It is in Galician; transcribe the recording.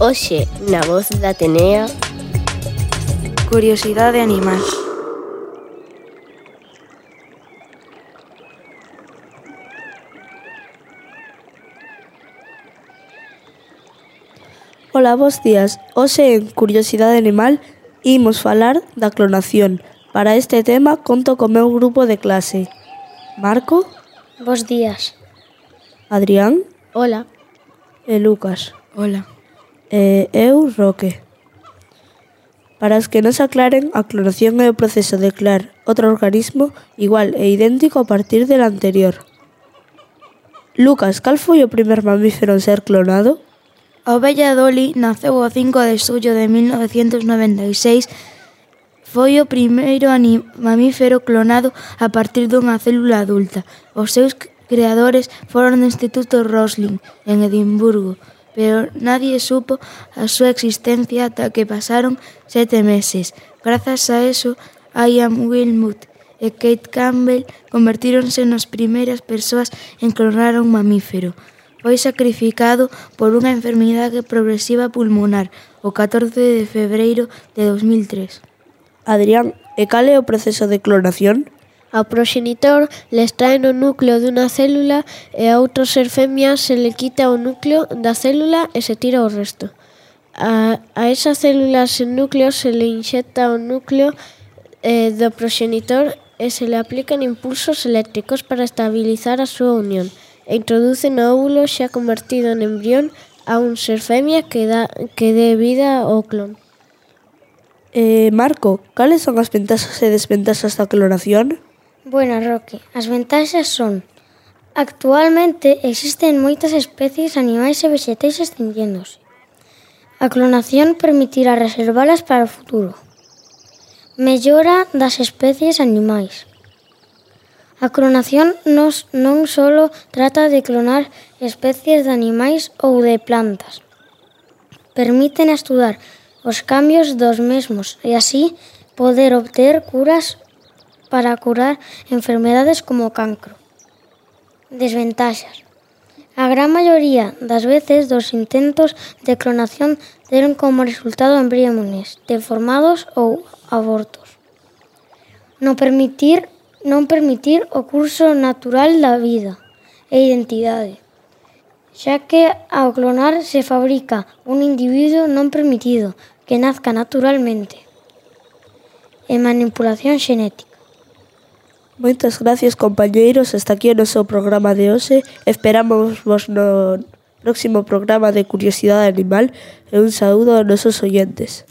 Hoxe, na voz da Atenea, Curiosidade animal. Ola, bos días. Hoxe en Curiosidade Animal imos falar da clonación. Para este tema conto co meu grupo de clase. Marco, Bos días. Adrián hola, e Lucas. Hola. E eu, Roque. Para os que non se aclaren, a clonación é o proceso de crear outro organismo igual e idéntico a partir del anterior. Lucas, cal foi o primer mamífero en ser clonado? A ovella Dolly naceu o 5 de xullo de 1996. Foi o primeiro mamífero clonado a partir dunha célula adulta. Os seus creadores foron do Instituto Roslin, en Edimburgo, pero nadie supo a súa existencia ata que pasaron 7 meses. Grazas a eso, Ian Wilmut e Kate Campbell convertíronse nas primeiras persoas en clonar un mamífero. Foi sacrificado por unha enfermidade progresiva pulmonar o 14 de febreiro de 2003. Adrián, e cal é o proceso de clonación? ao proxenitor le extrae no núcleo dunha célula e a outro ser femia se le quita o núcleo da célula e se tira o resto. A esa célula sen núcleo se le inxecta o núcleo do proxenitor e se le aplican impulsos eléctricos para estabilizar a súa unión e introduce no óvulo xa convertido en embrión a un ser femia que dé vida ao clon. Marco, cales son as ventaxas e desventaxas da clonación? Buenas, Roque. As ventaxas son: actualmente existen moitas especies animais e vegetais extinguéndose. A clonación permitirá reservalas para o futuro. Mellora das especies animais. A clonación non só trata de clonar especies de animais ou de plantas. Permiten estudar os cambios dos mesmos e así poder obter curas para curar enfermedades como o cancro. Desventaxas. A gran maioría das veces dos intentos de clonación deron como resultado embriones deformados ou abortos. Non permitir o curso natural da vida e identidade, xa que ao clonar se fabrica un individuo non permitido que nazca naturalmente. E manipulación xenética. Moitas gracias, compañeiros. Hasta aquí o noso programa de hoxe. Esperamos vos no próximo programa de Curiosidade Animal e un saúdo aos nosos oyentes.